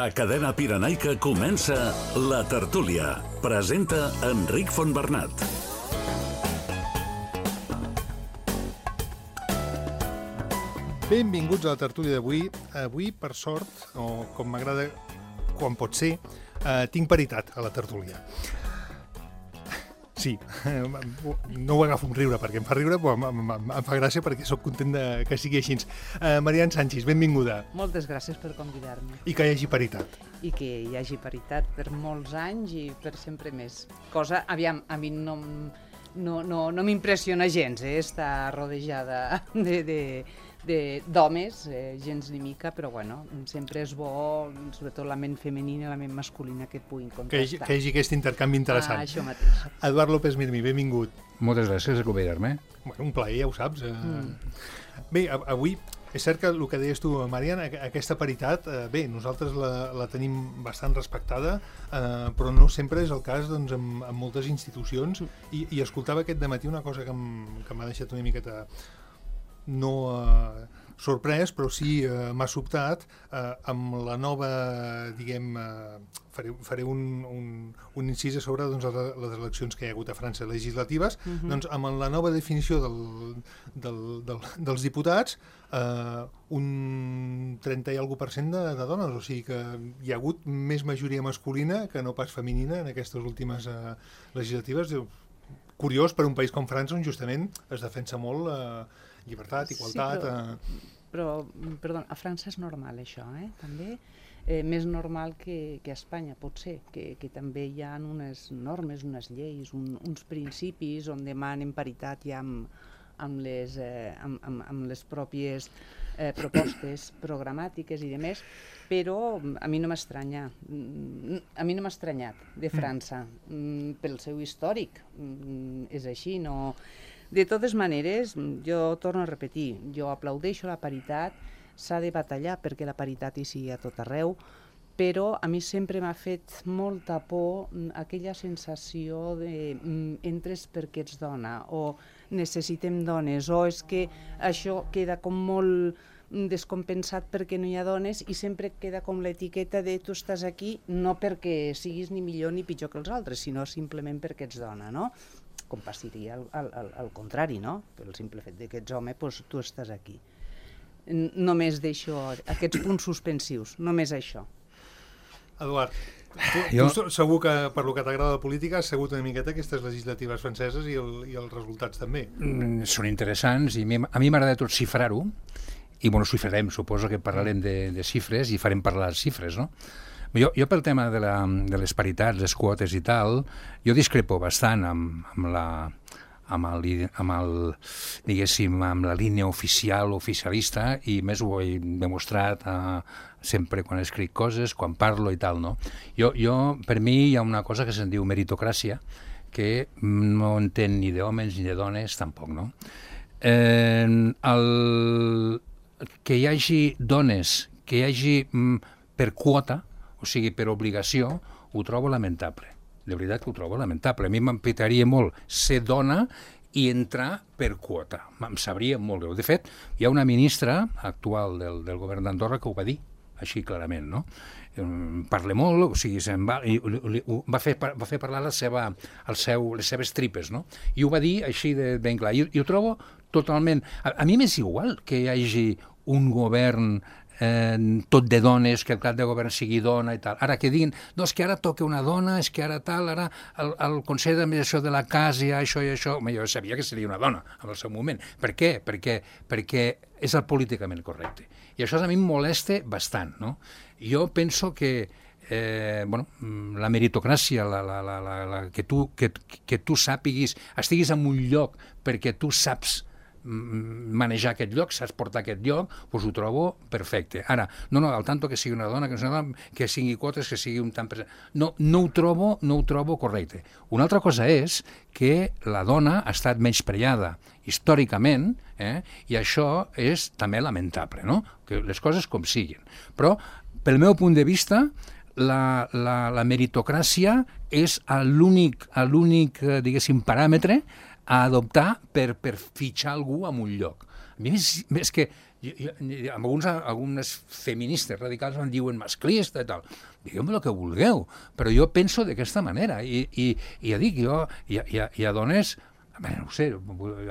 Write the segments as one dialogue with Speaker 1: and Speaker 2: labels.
Speaker 1: A Cadena Pirenaica comença La Tertúlia. Presenta Enric Fontbernat.
Speaker 2: Benvinguts a la tertúlia d'avui. Avui, per sort, o com m'agrada quan pot ser, tinc paritat a la tertúlia. Sí, no ho agafo amb riure perquè em fa riure, però em fa gràcia perquè sóc content que sigui així. Marian Sanchis, benvinguda.
Speaker 3: Moltes gràcies per convidar-me.
Speaker 2: I que hi hagi paritat.
Speaker 3: I que hi hagi paritat per molts anys i per sempre més. Cosa, aviam, a mi no m'impressiona gens, estar rodejada d'homes, gens ni mica, però bueno, sempre és bo, sobretot la ment femenina i la ment masculina que puguin contrastar.
Speaker 2: Que hi hagi aquest intercanvi interessant.
Speaker 3: Això mateix.
Speaker 2: Eduard López Mirmi, benvingut.
Speaker 4: Moltes gràcies per convidar-me.
Speaker 2: Bueno, un plaer, ja ho saps. Bé, avui és cert que el que deies tu, Marian, aquesta paritat, bé, nosaltres la tenim bastant respectada, però no sempre és el cas doncs, amb moltes institucions, i escoltava aquest dematí una cosa que m'ha deixat una miqueta no sorprès, però sí m'ha sobtat, amb la nova, diguem, faré un incís sobre doncs, les eleccions que hi ha hagut a França legislatives, doncs amb la nova definició dels diputats, un 30 i alguna % de dones, o sigui que hi ha hagut més majoria masculina que no pas femenina en aquestes últimes legislatives. Curiós per un país com França, on justament es defensa molt llibertat, igualtat...
Speaker 3: Sí, però, perdó, a França és normal això, també. Més normal que a Espanya, pot ser, que també hi ha unes normes, unes lleis, uns principis on demanen paritat ja amb les pròpies propostes programàtiques i demés, però a mi no m'ha estranyat. A mi no m'ha estranyat de França, pel seu històric. És així, no... De totes maneres, jo torno a repetir, jo aplaudeixo la paritat, s'ha de batallar perquè la paritat hi sigui a tot arreu, però a mi sempre m'ha fet molta por aquella sensació de entres perquè ets dona, o necessitem dones, o és que això queda com molt descompensat perquè no hi ha dones i sempre queda com l'etiqueta de tu estàs aquí no perquè siguis ni millor ni pitjor que els altres, sinó simplement perquè ets dona, no? Com passaria al contrari, no? Pel simple fet que ets home, doncs tu estàs aquí. Només deixo aquests punts suspensius, només això.
Speaker 2: Eduard, tu segur que per lo que t'agrada la política has segut una miqueta aquestes legislatives franceses i els resultats també.
Speaker 4: Són interessants i a mi m'agrada tot xifrar-ho i bueno, xifrarem, suposo que parlarem de xifres i farem parlar les xifres, no? Jo pel tema de les paritats, les quotes i tal, jo discrepo bastant amb la línia oficialista i més ho he demostrat sempre quan escric coses, quan parlo i tal, no? Per mi hi ha una cosa que se'n diu meritocràcia, que no entén ni d'homes ni de dones tampoc, no? Que hi hagi dones, que hi hagi per quota, o sigui, per obligació, ho trobo lamentable. De veritat que ho trobo lamentable. A mi m'empitaria molt ser dona i entrar per quota. Em sabria molt greu. De fet, hi ha una ministra actual del govern d'Andorra que ho va dir, així clarament, no? Parla molt, o sigui, va fer parlar les seves tripes, no? I ho va dir així de ben clar. I ho trobo totalment... A mi m'és igual que hi hagi un govern tot de dones, que el cap de govern sigui dona i tal. Ara que diguin, no, és que ara toca una dona, és que ara tal, ara el Consell d'Administració de la Casa hi ha això i això. Jo sabia que seria una dona en el seu moment. Per què? Perquè és el políticament correcte. I això a mi em molesta bastant, no? Jo penso que la meritocràcia, que tu sàpiguis, estiguis en un lloc perquè tu saps manejar aquest lloc, saps portar aquest lloc, doncs ho trobo perfecte. Ara, no, al tanto que sigui una dona, que sigui quotes, que sigui un tant per cent. No ho trobo correcte. Una altra cosa és que la dona ha estat menyspreada històricament, i això és també lamentable, no? Que les coses com siguin. Però, pel meu punt de vista, la meritocràcia és l'únic, diguéssim, paràmetre a adoptar per fitxar algú en un lloc. A mi és que algunes feministes radicals em diuen masclista i tal. Digueu-me el que vulgueu, però jo penso d'aquesta manera. I ja dic, hi ha dones... No sé,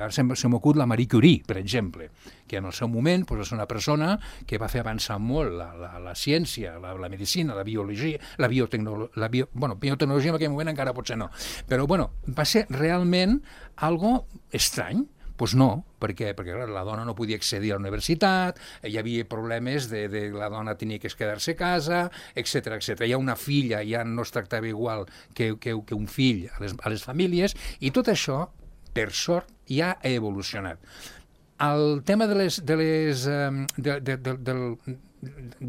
Speaker 4: ara se m'acut la Marie Curie, per exemple, que en el seu moment és una persona que va fer avançar molt la ciència, la medicina, la biologia, biotecnologia en aquell moment encara potser no, però va ser realment algo estrany. Doncs no, perquè la dona no podia accedir a la universitat, hi havia problemes de la dona tenia que quedar-se a casa, etc. Hi ha una filla, ja no es tractava igual que un fill a les famílies, i tot això, per sort, ja ha evolucionat. El tema de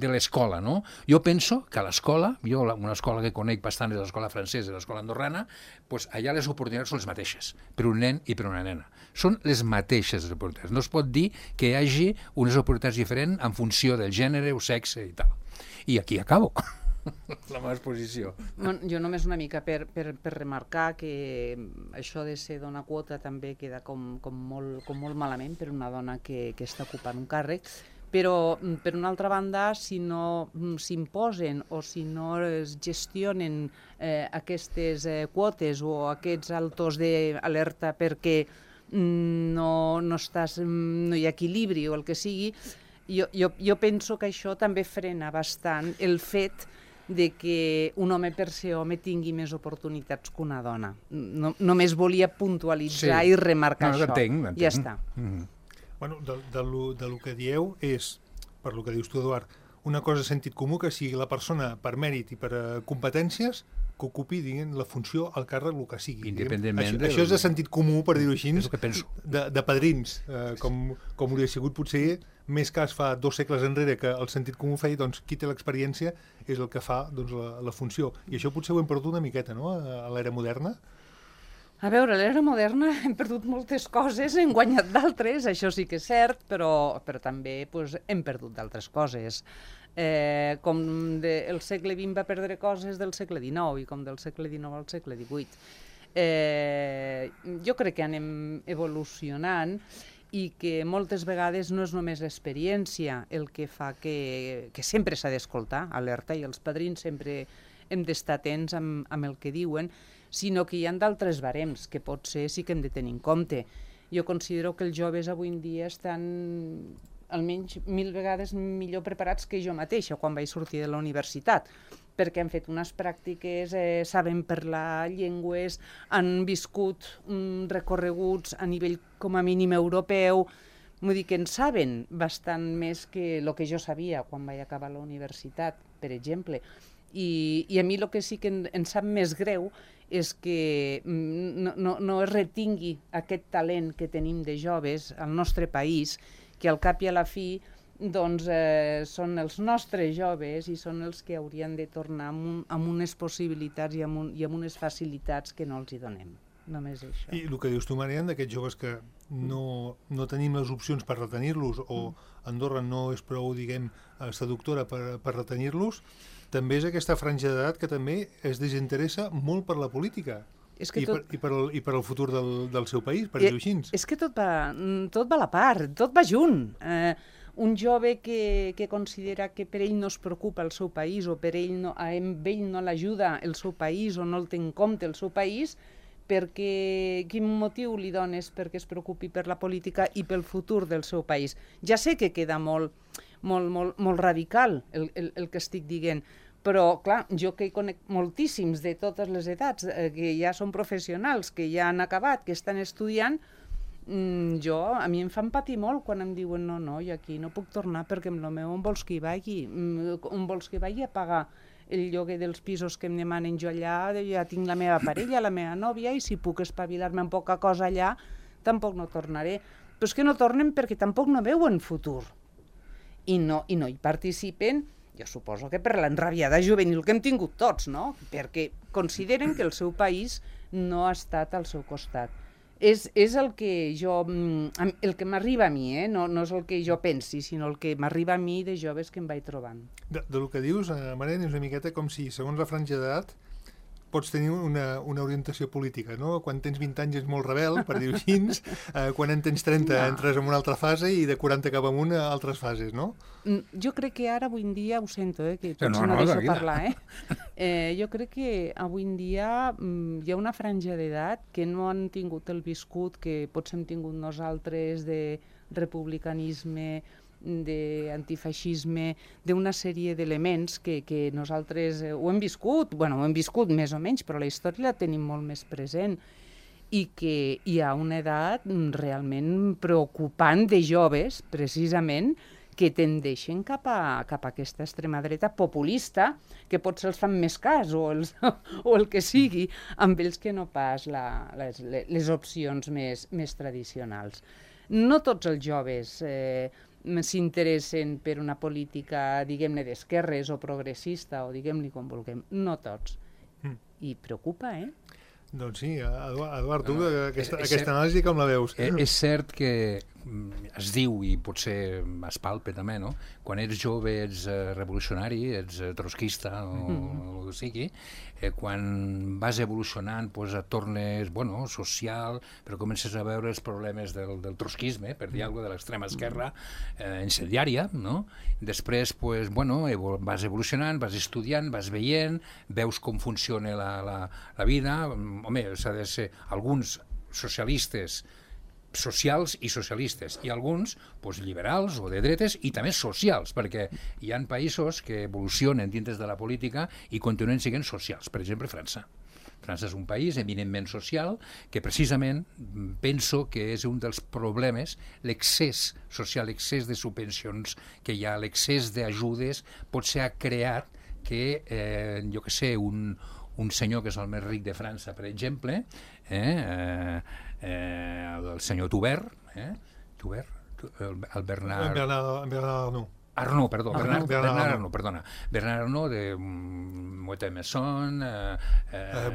Speaker 4: l'escola, no? Jo penso que a l'escola, una escola que conec bastant és l'escola francesa i l'escola andorrana, doncs allà les oportunitats són les mateixes, per un nen i per una nena. Són les mateixes oportunitats. No es pot dir que hi hagi unes oportunitats diferents en funció del gènere o sexe i tal. I aquí acabo. La meva exposició.
Speaker 3: Jo només una mica per remarcar que això de ser dona quota també queda com molt malament per una dona que està ocupant un càrrec, però per una altra banda, si no s'imposen o si no es gestionen aquestes quotes o aquests altos d'alerta perquè no hi ha equilibri o el que sigui, jo penso que això també frena bastant el fet de que un home per ser home tingui més oportunitats que una dona. Només volia puntualitzar i remarcar això.
Speaker 4: L'entenc.
Speaker 3: Ja està.
Speaker 2: Bueno, del que dieu és, per lo que dius tu, Eduard, una cosa de sentit comú, que si la persona per mèrit i per competències que ocupi, diguem, la funció, el càrrec, el que sigui.
Speaker 4: Independentment
Speaker 2: això és de sentit comú, per dir-ho així,
Speaker 4: és el que penso.
Speaker 2: De padrins, com hauria sigut potser més cas fa 2 segles enrere que el sentit comú feia, doncs qui té l'experiència és el que fa doncs, la funció. I això potser ho hem perdut una miqueta, no?, a l'era moderna.
Speaker 3: A veure, a l'era moderna hem perdut moltes coses, hem guanyat d'altres, això sí que és cert, però també hem perdut d'altres coses. Com el segle XX va perdre coses del segle XIX i com del segle XIX al segle XVIII. Jo crec que anem evolucionant i que moltes vegades no és només l'experiència el que fa que sempre s'ha d'escoltar, alerta, i els padrins sempre hem d'estar atents amb el que diuen, sinó que hi ha d'altres barems que potser sí que hem de tenir en compte. Jo considero que els joves avui en dia estan almenys 1000 vegades millor preparats que jo mateixa quan vaig sortir de la universitat, perquè han fet unes pràctiques, saben parlar llengües, han viscut recorreguts a nivell com a mínim europeu, vull dir que en saben bastant més que el que jo sabia quan vaig acabar la universitat, per exemple. I a mi el que sí que em sap més greu és que no es retingui aquest talent que tenim de joves al nostre país, que al cap i a la fi doncs, són els nostres joves i són els que haurien de tornar amb unes possibilitats i amb unes facilitats que no els hi donem. Només això.
Speaker 2: I el que dius tu, Marian, d'aquests joves que no tenim les opcions per retenir-los o Andorra no és prou, diguem, seductora per retenir-los, també és aquesta franja d'edat que també es desinteressa molt per la política. I per al futur del seu país, per dir-ho així.
Speaker 3: És que tot va a la part, tot va junt. Un jove que considera que per ell no es preocupa el seu país o per ell no l'ajuda el seu país o no el té en compte el seu país, quin motiu li dones perquè es preocupi per la política i pel futur del seu país? Ja sé que queda molt radical el que estic dient, però, clar, jo que hi conec moltíssims de totes les edats, que ja són professionals, que ja han acabat, que estan estudiant, a mi em fan patir molt quan em diuen no, jo aquí no puc tornar perquè amb el meu on vols que hi vagi? On vols que vagi a pagar el lloguer dels pisos que em demanen jo allà? Ja tinc la meva parella, la meva nòvia, i si puc espavilar-me amb poca cosa allà, tampoc no tornaré. Però és que no tornen perquè tampoc no veuen futur. I no hi participen, jo suposo que per l'enrabiada juvenil que hem tingut tots, no? Perquè consideren que el seu país no ha estat al seu costat. És el que m'arriba a mi, no és el que jo pensi, sinó el que m'arriba a mi de joves que em vaig trobant.
Speaker 2: Del que dius, Marian, és una miqueta com si, segons la franja d'edat, pots tenir una orientació política, no? Quan tens 20 anys és molt rebel, per dir-ho així, quan en tens 30 entres en una altra fase i de 40 cap amunt a altres fases, no?
Speaker 3: Jo crec que ara, avui en dia, ho sento, que potser no deixo parlar, jo crec que avui en dia hi ha una franja d'edat que no han tingut el viscut que potser hem tingut nosaltres de republicanisme, d'antifeixisme, d'una sèrie d'elements que nosaltres ho hem viscut més o menys, però la història la tenim molt més present, i que hi ha una edat realment preocupant de joves, precisament, que tendeixen cap a aquesta extrema dreta populista, que potser els fan més cas, o el que sigui, amb ells que no pas les opcions més tradicionals. No tots els joves s'interessen per una política, diguem-ne, d'esquerres o progressista, o diguem-li com vulguem. No tots. I preocupa,
Speaker 2: Doncs sí, Eduard, tu aquesta anàlisi com la veus?
Speaker 4: És cert que es diu, i potser es palpa també, no? Quan ets jove ets revolucionari, ets trotskista o el que sigui, quan vas evolucionant et tornes social, però comences a veure els problemes del trotskisme, per dir alguna cosa, de l'extrema esquerra incendiària, no? Després vas evolucionant, vas estudiant, vas veient, veus com funciona la vida. Home, s'ha de ser alguns socialistes socials i socialistes, i alguns liberals o de dretes i també socials, perquè hi ha països que evolucionen dintre de la política i continuen sent socials. Per exemple, França. França és un país eminentment social que precisament penso que és un dels problemes, l'excés social, l'excés de subvencions que hi ha, l'excés d'ajudes, potser ha creat que, jo què sé, un senyor que és el més ric de França, per exemple, el senyor Toubert, el Bernard Arnault, perdó, Bernard Arnault, de Moët-Messon,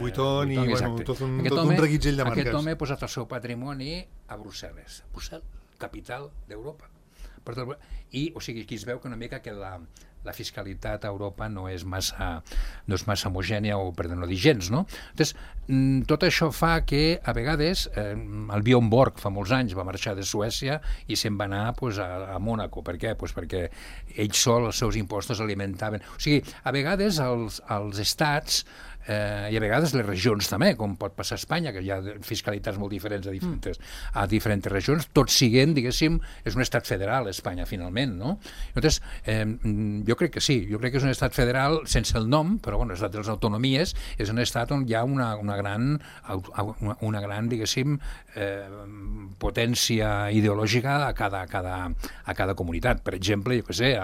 Speaker 2: Vuitton, i tot un reguitzell de marques.
Speaker 4: Aquest home ha posat el seu patrimoni a Brussel·les, capital d'Europa. I, o sigui, aquí es veu que una mica que la fiscalitat a Europa no és massa homogènia, o per no dir gens, no? Llavors, tot això fa que, a vegades, el Björn Borg fa molts anys va marxar de Suècia i se'n va anar a Mònaco. Per què? Perquè ells sols els seus impostos alimentaven. O sigui, a vegades els estats i a vegades les regions també, com pot passar a Espanya, que hi ha fiscalitats molt diferents a diferents regions, tot siguent, diguéssim, és un estat federal, Espanya, finalment, no? Llavors, jo crec que sí, jo crec que és un estat federal sense el nom, però l'estat de les autonomies és un estat on hi ha una gran, diguéssim, potència ideològica a cada comunitat. Per exemple, jo què sé,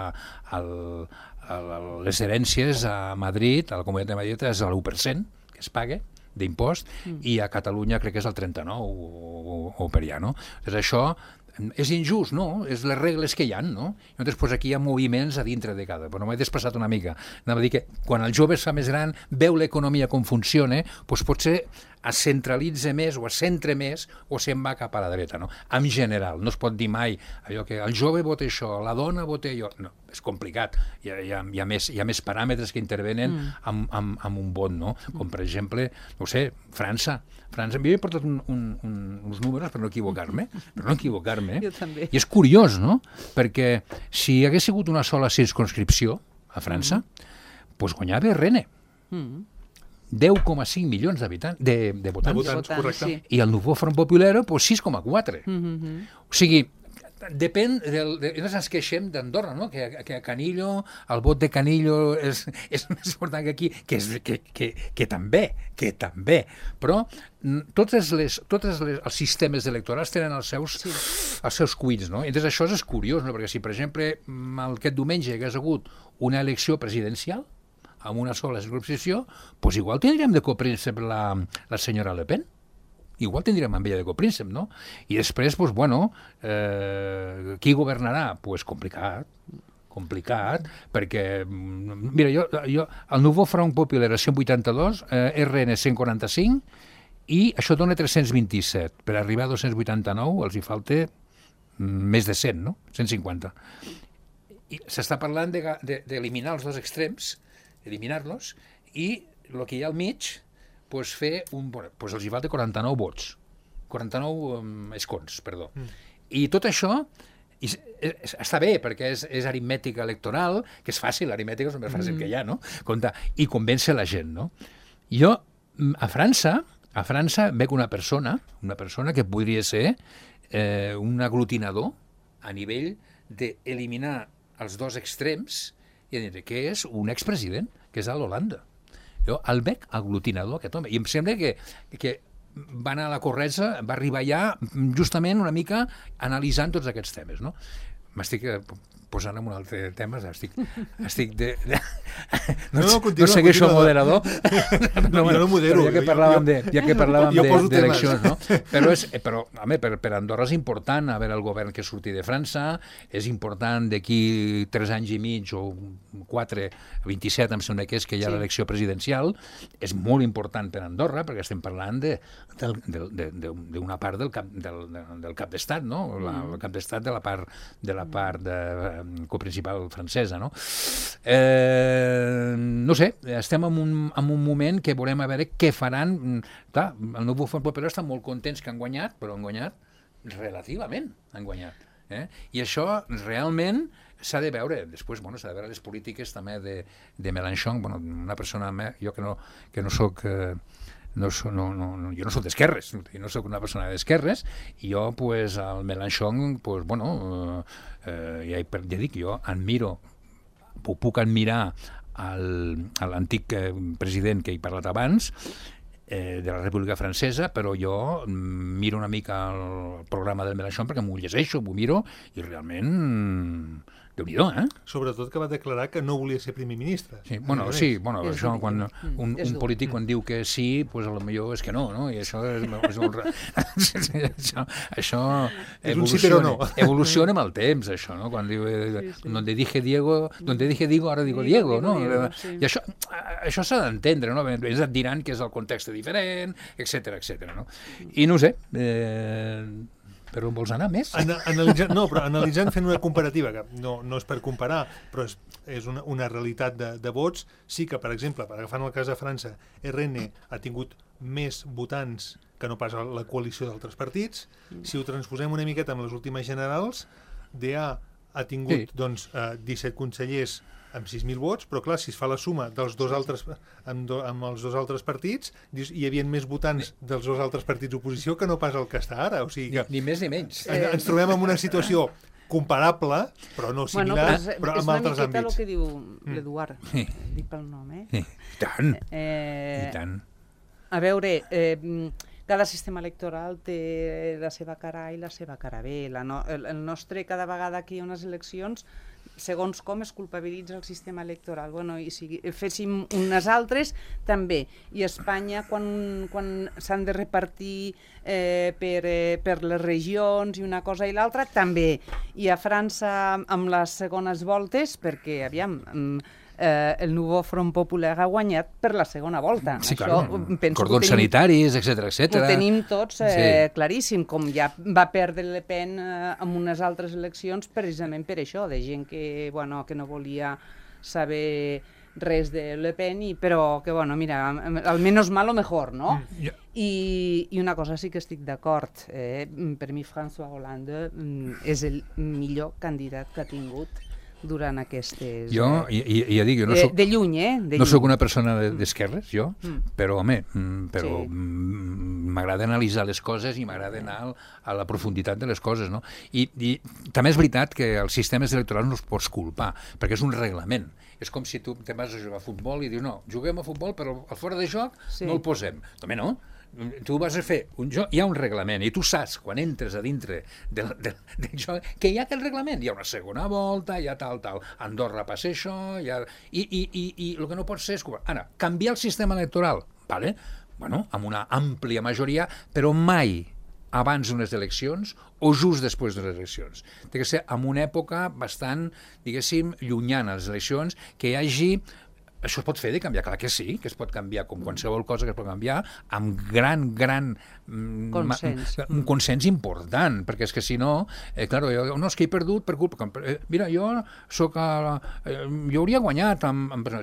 Speaker 4: les herències a Madrid, a la Comunitat de Madrid, és l'1% que es paga d'impost, i a Catalunya crec que és el 39% o per allà, no? Llavors això és injust, no? És les regles que hi ha, no? Llavors aquí hi ha moviments a dintre de cada, però m'he desplaçat una mica. Anava a dir que quan el jove es fa més gran, veu l'economia com funciona, potser es centralitza més o es centra més o se'n va cap a la dreta, no? En general, no es pot dir mai allò que el jove vota això, la dona vota allò, no, és complicat, hi ha més paràmetres que intervenen amb un vot, no? Com per exemple, no sé, França, m'havia portat uns números per no equivocar-me,
Speaker 3: Jo també.
Speaker 4: I és curiós, no? Perquè si hi hagués sigut una sola circonscripció a França, guanyava Rennes. 10,5 milions de votants.
Speaker 2: Correcte.
Speaker 3: Sí.
Speaker 4: I el Nouveau Front Populaire, 6,4. O sigui, depèn nosaltres ens queixem d'Andorra, no? Que Canillo, el vot de Canillo és més important que aquí, que també, però tots els sistemes electorals tenen els seus cuits, no? Entonces això és curiós, no? Perquè si, per exemple, aquest diumenge hagués hagut una elecció presidencial amb una sola circumscripció, igual tindríem de copríncep la senyora Le Pen. Igual tindríem amb ella de copríncep, no? I després, qui governarà? Complicat, perquè, mira, jo el Nouveau Front Populaire 182, RN 145, i això dona 327. Per arribar a 289 els hi falta més de 100, no? 150. I s'està parlant d'eliminar els dos extrems, eliminar-los, i el que hi ha al mig pues, fer pues els hi falta 49 vots. 49 escons, perdó. I tot això està bé, perquè és aritmètica electoral, que és fàcil, l'aritmètica és el més fàcil que hi ha, no? Compte, i convèncer la gent, no? Jo, a França veig una persona que podria ser un aglutinador a nivell d'eliminar els dos extrems i dir que és un expresident, que és a l'Holanda. Jo el veig aglutinador, aquest home, i em sembla que va anar a la Corretja, va arribar allà justament una mica analitzant tots aquests temes, no? M'estic posant en un altre tema, estic no segueixo el moderador.
Speaker 2: Jo no modero.
Speaker 4: Ja que parlàvem d'eleccions, no? Però, home, per Andorra és important haver el govern que surti de França, és important d'aquí 3 anys i mig o 4, 27, em sembla que és, que hi ha l'elecció presidencial, és molt important per Andorra, perquè estem parlant d'una part del cap d'estat, no? El cap d'estat de la part coprincipal francesa, no? No sé, estem en un moment que volem a veure què faran. Clar, el nou Front Popular està molt contents que han guanyat, però han guanyat relativament, han guanyat. I això realment s'ha de veure. Després, s'ha de veure les polítiques també de Mélenchon, una persona, jo que no soc... jo no soc d'esquerres, jo no soc una persona d'esquerres, i jo, al Mélenchon, ja dic, jo admiro, puc admirar l'antic president que he parlat abans, de la República Francesa, però jo miro una mica el programa del Mélenchon perquè m'ho llegeixo, m'ho miro, i realment... Déu-n'hi-do,
Speaker 2: Sobretot que va declarar que no volia ser primer ministre.
Speaker 4: Sí, això, quan un polític quan diu que sí, doncs potser és que no, no? I això és molt... Això evoluciona amb el temps, això, no? Quan diu, donde dije Diego, ahora digo Diego, no? I això s'ha d'entendre, no? Ells et diran que és el context diferent, etc, no? I no sé... Però on vols anar més?
Speaker 2: Analitzant, fent una comparativa, que no és per comparar, però és una realitat de vots, sí que, per exemple, agafant el cas de França, RN ha tingut més votants que no pas la coalició d'altres partits. Si ho transposem una miqueta amb les últimes generals, DA ha tingut 17 consellers amb 6.000 vots, però clar, si es fa la suma dels amb els dos altres partits, hi havia més votants dels dos altres partits d'oposició que no pas el que està ara. O sigui que
Speaker 4: ni més ni menys.
Speaker 2: Ens trobem en una situació comparable, però no similar, però amb altres àmbits.
Speaker 3: És una miqueta el que diu l'Eduard, dic pel nom,
Speaker 4: I tant.
Speaker 3: A veure... Cada sistema electoral té la seva cara A i la seva cara B. El nostre, cada vegada que hi ha unes eleccions, segons com es culpabilitza el sistema electoral. I si féssim unes altres, també. I a Espanya, quan s'han de repartir per les regions i una cosa i l'altra, també. I a França, amb les segones voltes, perquè, aviam... el nou Front Popular ha guanyat per la segona volta.
Speaker 4: Sí, clar, cordons sanitaris, etc.
Speaker 3: Ho tenim tots claríssim, com ja va perdre Le Pen en unes altres eleccions precisament per això, de gent que no volia saber res de Le Pen, però que, mira, al menos malo mejor, no? I una cosa sí que estic d'acord. Per mi François Hollande és el millor candidat que ha tingut durant aquestes...
Speaker 4: Jo dic, jo no soc...
Speaker 3: De lluny,
Speaker 4: no soc una persona d'esquerres, jo, però, home, m'agrada analitzar les coses i m'agrada anar a la profunditat de les coses, no? I també és veritat que els sistemes electorals no els pots culpar, perquè és un reglament. És com si tu te vas a jugar a futbol i dius, no, juguem a futbol, però al fora de joc no el posem. També no. Tu vas a fer un joc, hi ha un reglament, i tu saps, quan entres a dintre del joc, que hi ha aquest reglament, hi ha una segona volta, hi ha tal. Andorra passa això, i el que no pot ser és... Ara, canviar el sistema electoral, vale? Amb una àmplia majoria, però mai abans d'unes eleccions o just després de les eleccions. Té que ser en una època bastant, diguéssim, llunyana, les eleccions, que hi hagi això es pot fer de canviar? Clar que sí, que es pot canviar, com qualsevol cosa que es pot canviar, amb gran
Speaker 3: consens.
Speaker 4: Un consens important, perquè és que si no, claro, no, és que he perdut per culpa... Mira, jo hauria guanyat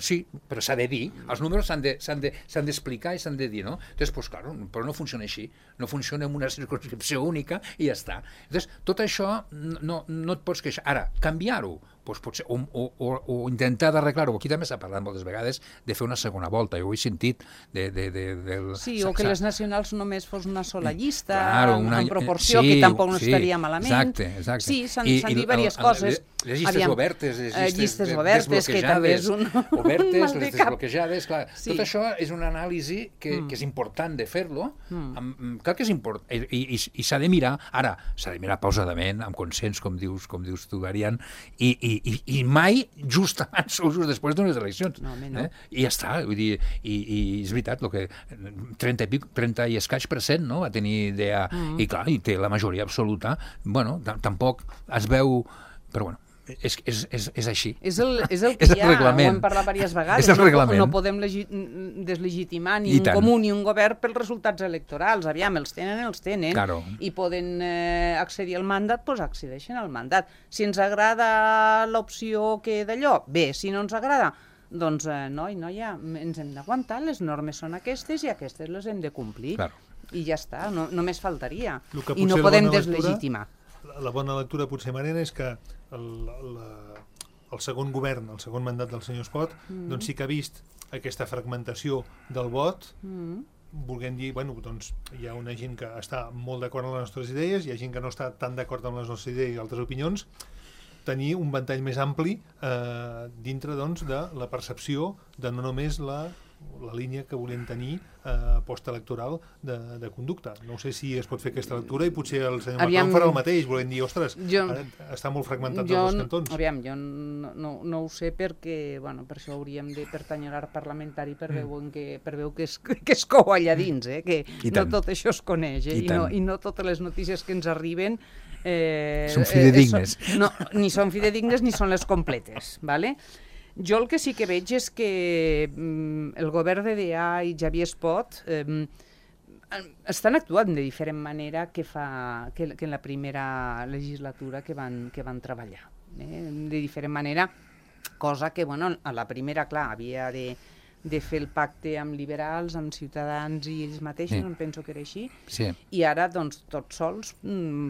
Speaker 4: sí, però s'ha de dir, els números s'han d'explicar i s'han de dir, no? Entonces, pues, claro, però no funciona així, no funciona en una circumscripció única i ja està. Entonces, tot això no et pots queixar. Ara, canviar-ho, doncs potser, o intentar d'arreglar-ho. Aquí també s'ha parlat moltes vegades de fer una segona volta. Jo ho he sentit
Speaker 3: Sí, o que les nacionals només fos una sola llista,
Speaker 4: claro,
Speaker 3: en proporció, que tampoc no estaria malament.
Speaker 4: Exacte.
Speaker 3: Sí, s'han dit diverses coses.
Speaker 4: Les llistes obertes, les llistes
Speaker 3: obertes, que també és un
Speaker 4: obertes, les desbloquejades, clar. Sí. Tot això és una anàlisi que és important de fer-lo. Clar que és important. I s'ha de mirar, ara, s'ha de mirar pausadament, amb consens, com dius tu, Variant, i mai just abans o just després d'unes eleccions.
Speaker 3: No.
Speaker 4: I ja està, vull dir, i és veritat, el que 30 i escaig % no, va tenir idea, i clar, i té la majoria absoluta, bueno, tampoc es veu, però bueno, és així.
Speaker 3: És el que hi ha, ho hem parlat diverses vegades. No podem deslegitimar ni un comú ni un govern pels resultats electorals. Aviam, els tenen,
Speaker 4: claro.
Speaker 3: I poden accedir al mandat, doncs accedeixen al mandat. Si ens agrada l'opció que d'allò, bé, si no ens agrada, doncs noia, ens hem d'aguantar, les normes són aquestes i aquestes les hem de complir.
Speaker 4: Claro.
Speaker 3: I ja està, només faltaria. I no podem deslegitimar.
Speaker 2: La bona lectura, potser, Mariana, és que el segon govern, el segon mandat del senyor Espot, doncs sí que ha vist aquesta fragmentació del vot, volent dir, bueno, doncs hi ha una gent que està molt d'acord amb les nostres idees, hi ha gent que no està tan d'acord amb les nostres idees i altres opinions, tenir un ventall més ampli dintre, doncs, de la percepció de no només la línia que volem tenir postelectoral de conducta. No sé si es pot fer aquesta lectura i potser el senyor Macron farà el mateix, volem dir, ostres, està molt fragmentat dels cantons.
Speaker 3: Aviam, jo no ho sé perquè, bueno, per això hauríem de pertànyer a l'art parlamentari per veure que es cou allà dins, que no tot això es coneix, i no totes les notícies que ens arriben
Speaker 4: són fidedignes.
Speaker 3: Ni són fidedignes ni són les completes, d'acord? Jo el que sí que veig és que el govern de DA i Xavier Espot estan actuant de diferent manera que en la primera legislatura que van treballar. De diferent manera, cosa que, bueno, a la primera, clar, havia de fer el pacte amb liberals, amb ciutadans i ells mateixos, em penso que era així, i ara, doncs, tots sols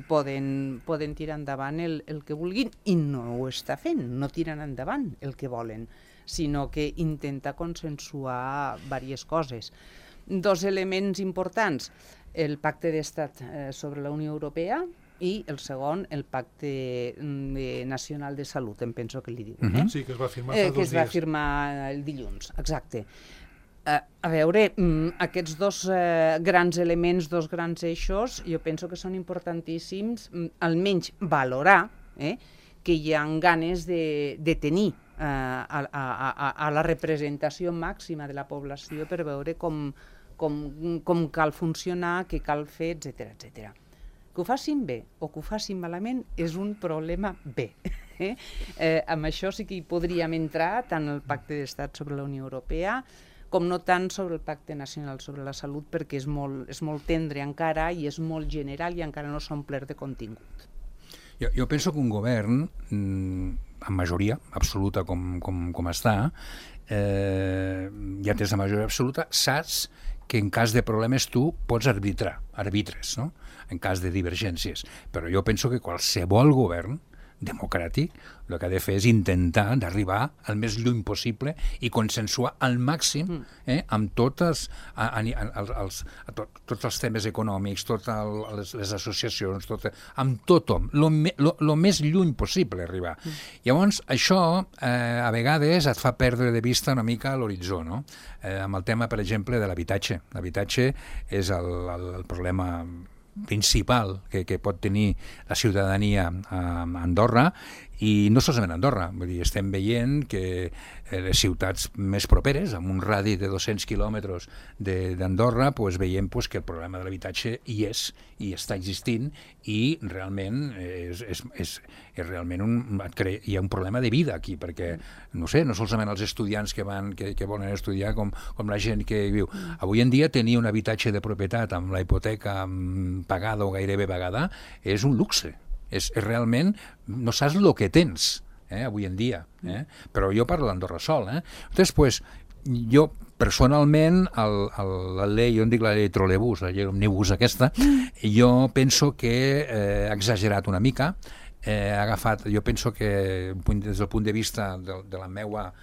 Speaker 3: poden tirar endavant el que vulguin, i no ho està fent, no tiren endavant el que volen, sinó que intenta consensuar diverses coses. Dos elements importants, el pacte d'estat sobre la Unió Europea, i el segon, el Pacte Nacional de Salut, em penso que li diuen.
Speaker 2: Sí, que es va firmar fa 2 dies.
Speaker 3: Que es va firmar el dilluns, exacte. A veure, aquests dos grans elements, dos grans eixos, jo penso que són importantíssims, almenys valorar que hi ha ganes de tenir a la representació màxima de la població per veure com cal funcionar, què cal fer, etcètera. Que ho facin bé o que ho facin malament és un problema bé. Amb això sí que hi podríem entrar, tant el Pacte d'Estat sobre la Unió Europea com no tant sobre el Pacte Nacional sobre la Salut, perquè és molt tendre encara i és molt general i encara no s'ha omplert de contingut.
Speaker 4: Jo penso que un govern, amb majoria absoluta com està, ja tens la majoria absoluta, saps que en cas de problemes tu pots arbitres, no? En cas de divergències. Però jo penso que qualsevol govern democràtic el que ha de fer és intentar d'arribar al més lluny possible i consensuar al màxim amb tots els temes econòmics, totes les associacions, amb tothom, el més lluny possible arribar. Llavors, això a vegades et fa perdre de vista una mica l'horitzó, no? Amb el tema, per exemple, de l'habitatge. L'habitatge és el problema principal que pot tenir la ciutadania a Andorra I no solament a Andorra, vull dir, estem veient que les ciutats més properes, amb un radi de 200 quilòmetres d'Andorra, pues, veiem pues, que el problema de l'habitatge hi és, i està existint, i realment és realment hi ha un problema de vida aquí, perquè, no sé, no solament els estudiants que volen estudiar com la gent que viu. Avui en dia tenir un habitatge de propietat amb la hipoteca pagada o gairebé pagada és un luxe. És realment, no saps el que tens, avui en dia. Però jo parlo d'Andorra sol. Entonces, pues, jo personalment, la llei, jo en dic la llei trolebús, la llei omnibus aquesta, jo penso que ha exagerat una mica, ha agafat, jo penso que des del punt de vista de la meva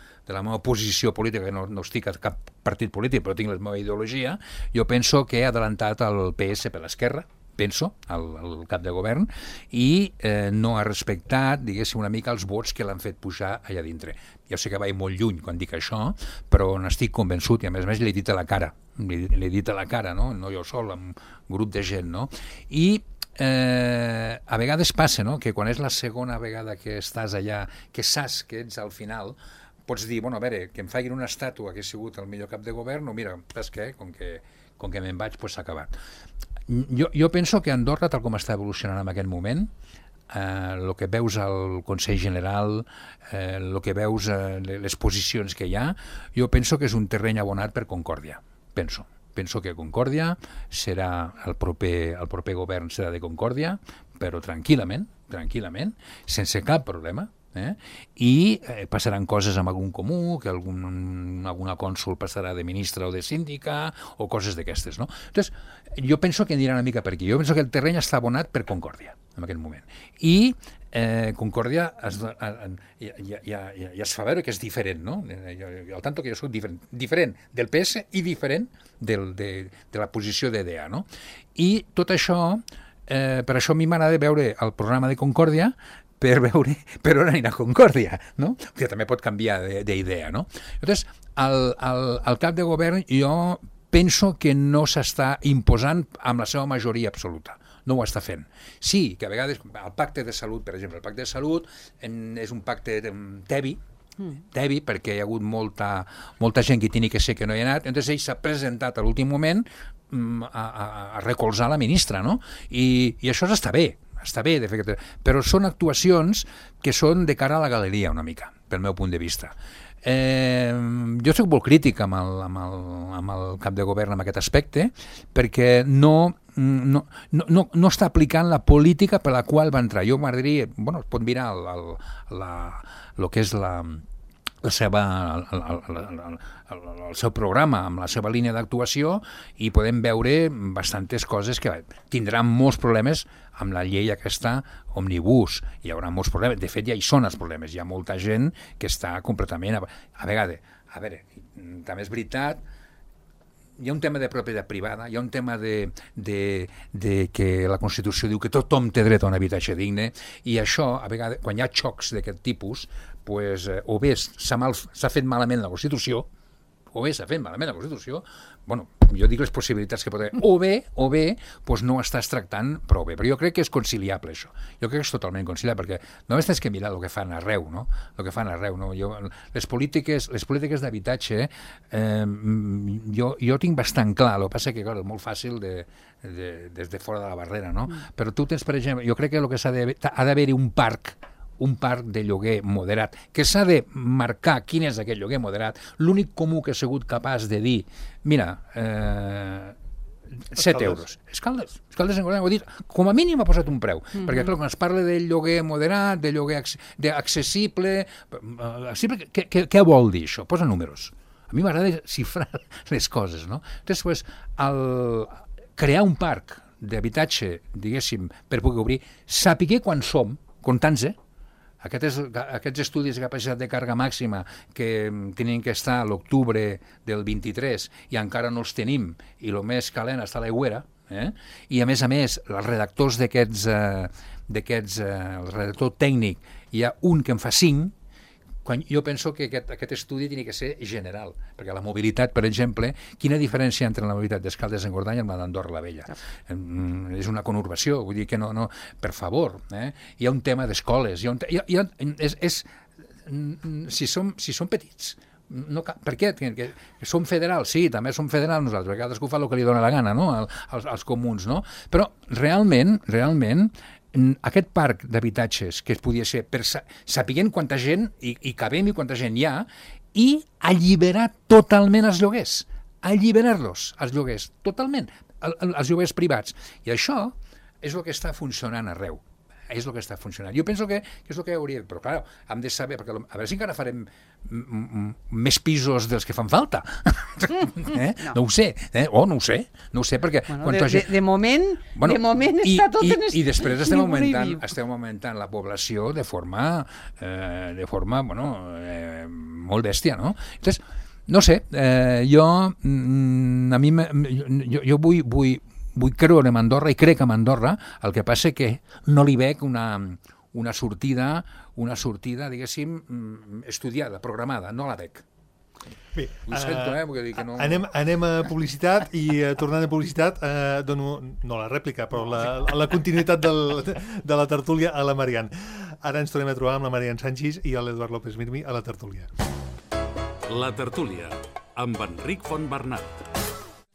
Speaker 4: posició política, que no estic a cap partit polític, però tinc la meva ideologia, jo penso que ha adelantat el PS per l'esquerra, penso, el cap de govern, i no ha respectat, diguéssim, una mica els vots que l'han fet pujar allà dintre. Jo sé que vaig molt lluny quan dic això, però n'estic convençut, i a més l'he dit a la cara, no jo sol, amb un grup de gent, no? I a vegades passa, no?, que quan és la segona vegada que estàs allà, que saps que ets al final, pots dir, bueno, a veure, que em facin una estàtua que he sigut el millor cap de govern, o mira, saps què? Com que me'n vaig, doncs s'ha acabat. Jo penso que Andorra, tal com està evolucionant en aquest moment, el que veus al Consell General, el que veus, les posicions que hi ha, jo penso que és un terreny abonat per Concòrdia, penso que Concòrdia serà el proper govern serà de Concòrdia, però tranquil·lament, sense cap problema, i passaran coses amb algun comú, que alguna cònsul passarà de ministra o de síndica, o coses d'aquestes, no? Entonces, jo penso que anirà una mica per aquí. Jo penso que el terreny està abonat per Concòrdia, en aquest moment. I Concòrdia ja es fa veure que és diferent, no? Al tanto que jo soc diferent del PS i diferent de la posició d'EDA, no? I tot això, per això a mi m'agrada veure el programa de Concòrdia per veure per on anirà Concòrdia, no? Que també pot canviar d'idea, no? Llavors, el cap de govern jo penso que no s'està imposant amb la seva majoria absoluta. No ho està fent. Sí, que a vegades el pacte de salut, per exemple, el pacte de salut és un pacte tebi, perquè hi ha hagut molta gent que tenia que ser que no hi ha anat, llavors ell s'ha presentat a l'últim moment a recolzar la ministra, no? I això està bé, de fet, però són actuacions que són de cara a la galeria una mica, pel meu punt de vista. Jo soc molt crític amb el cap de govern en aquest aspecte, perquè no està aplicant la política per la qual va entrar. Jo m'agradaria, bueno, es pot mirar el que és el seu programa, amb la seva línia d'actuació, i podem veure bastantes coses que tindran molts problemes amb la llei aquesta omnibus. Hi haurà molts problemes. De fet, ja hi són els problemes. Hi ha molta gent que està completament... A veure, també és veritat, hi ha un tema de propietat privada, hi ha un tema de que la Constitució diu que tothom té dret a un habitatge digne, i això, a vegades, quan hi ha xocs d'aquest tipus, pues, o bé s'ha fet malament la Constitució, bueno, jo dic les possibilitats que pot haver, o bé, pues no estàs tractant prou bé, però jo crec que és conciliable això, jo crec que és totalment conciliable, perquè només tens que mirar el que fan arreu, no? Les polítiques d'habitatge, jo tinc bastant clar, el que passa que, clar, és molt fàcil des de fora de la barrera, no? Però tu tens, per exemple, jo crec que el que ha d'haver-hi un parc de lloguer moderat, que s'ha de marcar quin és aquest lloguer moderat. L'únic comú que ha sigut capaç de dir, mira, 7 euros. Escaldes ho ha dit, com a mínim ha posat un preu, perquè clar, quan es parla de lloguer moderat, de lloguer accessible, què vol dir això? Posa números. A mi m'agrada xifrar les coses, no? Després, crear un parc d'habitatge, diguéssim, per poder obrir, saber quan som, comptant-se, aquests estudis de capacitat de càrrega màxima que tenien que estar a l'octubre del 23 i encara no els tenim, i el més calent està a l'aigüera, i a més, els redactors el redactor tècnic, hi ha un que en fa 5, quan jo penso que aquest estudi hauria que ser general, perquè la mobilitat, per exemple, quina diferència entre la mobilitat d'Escaldes-Engordany amb la d'Andorra la Vella? És una conurbació, vull dir que no per favor, hi ha un tema d'escoles, si som petits, per què? Que som federals, sí, també som federals nosaltres, cadascú fa el que li dóna la gana, no? als comuns, no? Però realment, aquest parc d'habitatges que es podia ser sapiguent quanta gent hi cabem i quanta gent hi ha, i alliberar totalment els lloguers, alliberar-los, els lloguers, totalment, els lloguers privats. I això és el que està funcionant arreu. És el que està funcionant. Jo penso que és el que hauria... Però, clar, hem de saber, perquè a veure si encara farem més pisos dels que fan falta. No ho sé, no ho sé, perquè...
Speaker 3: De moment està tot en...
Speaker 4: I després estem augmentant la població de forma molt bèstia, no? Entonces, no sé, jo vull creure en Andorra i crec en Andorra, el que passa que no li veig una sortida, diguéssim, estudiada, programada, no la veig.
Speaker 2: Bé,
Speaker 4: ho sento, perquè dic que no...
Speaker 2: Anem a publicitat i tornant a publicitat dono, no la rèplica, però la continuïtat de la tertúlia a la Marian. Ara ens tornem a trobar amb la Marian Sanchis i l'Eduard López Mirmi a la tertúlia.
Speaker 1: La tertúlia, amb Enric Fontbernat.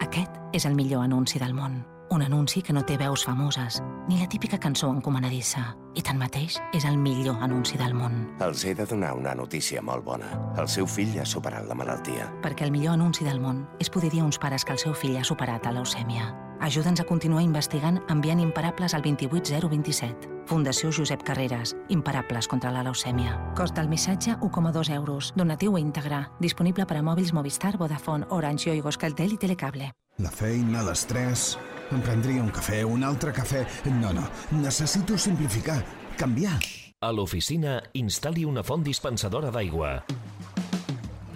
Speaker 5: Aquest és el millor anunci del món. Un anunci que no té veus famoses, ni la típica cançó encomanadissa. I tanmateix és el millor anunci del món.
Speaker 6: Els he de donar una notícia molt bona. El seu fill ha superat la malaltia.
Speaker 5: Perquè el millor anunci del món és poder dir a uns pares que el seu fill ha superat la leucèmia. Ajuda'ns a continuar investigant enviant imparables al 28027. Fundació Josep Carreras. Imparables contra la leucèmia. Cost del missatge 1,2 euros. Donatiu íntegre. Disponible per a mòbils Movistar, Vodafone, Orange, Yoigo, Euskaltel i Telecable.
Speaker 7: La feina, l'estrès... Em prendria un cafè, un altre cafè... No, necessito simplificar, canviar.
Speaker 8: A l'oficina, instal·li una font dispensadora d'aigua.